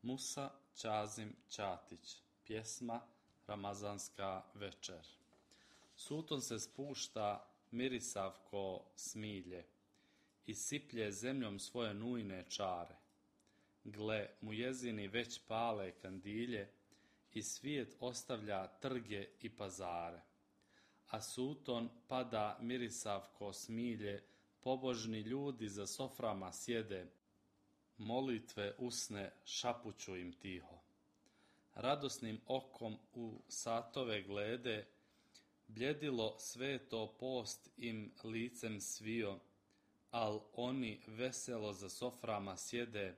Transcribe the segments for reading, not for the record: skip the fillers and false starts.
Musa Ćazim Ćatić. Pjesma Ramazanska večer. Suton se spušta mirisav ko smilje i siplje zemljom svoje nujne čare. Gle, mujezini već pale kandilje i svijet ostavlja trge i pazare. A suton pada mirisav ko smilje, pobožni ljudi za soframa sjede, molitve usne šapuću im tiho. Radosnim okom u satove glede, bljedilo sveto post im licem svio, al oni veselo za soframa sjede,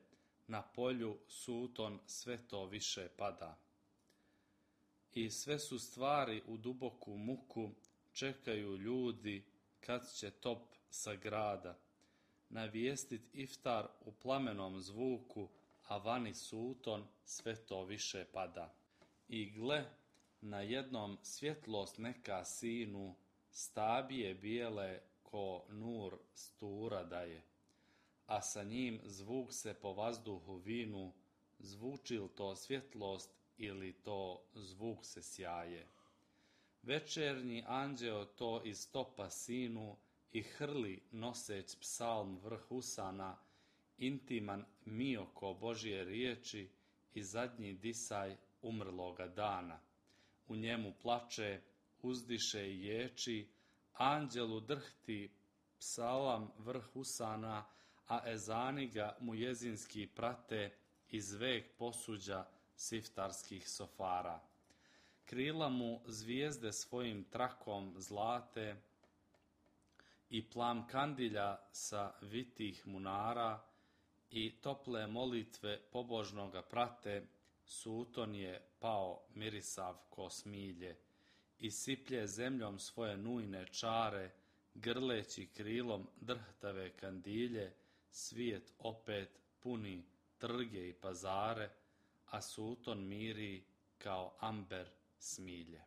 na polju suton sve to više pada. I sve su stvari u duboku muku, čekaju ljudi kad će top sa grada navijestit iftar u plamenom zvuku, a vani suton sve to više pada. I gle, na jednom svjetlost neka sinu, stabije bijele ko nur stura daje, a sa njim zvuk se po vazduhu vinu, zvuči li to svjetlost ili to zvuk se sjaje. Večernji anđeo to iz topa sinu i hrli noseć psalm vrh usana, intiman mio ko Božje riječi i zadnji disaj umrloga dana. U njemu plače, uzdiše i ječi, anđelu drhti psalam vrh usana, a ezani ga mujezinski prate iz vek posuđa siftarskih sofara. Krila mu zvijezde svojim trakom zlate i plam kandilja sa vitih munara i tople molitve pobožnoga prate, suton je pao mirisav ko smilje i siplje zemljom svoje nujne čare, grleći krilom drhtave kandilje, svijet opet puni trge i pazare, a suton miri kao amber smilje.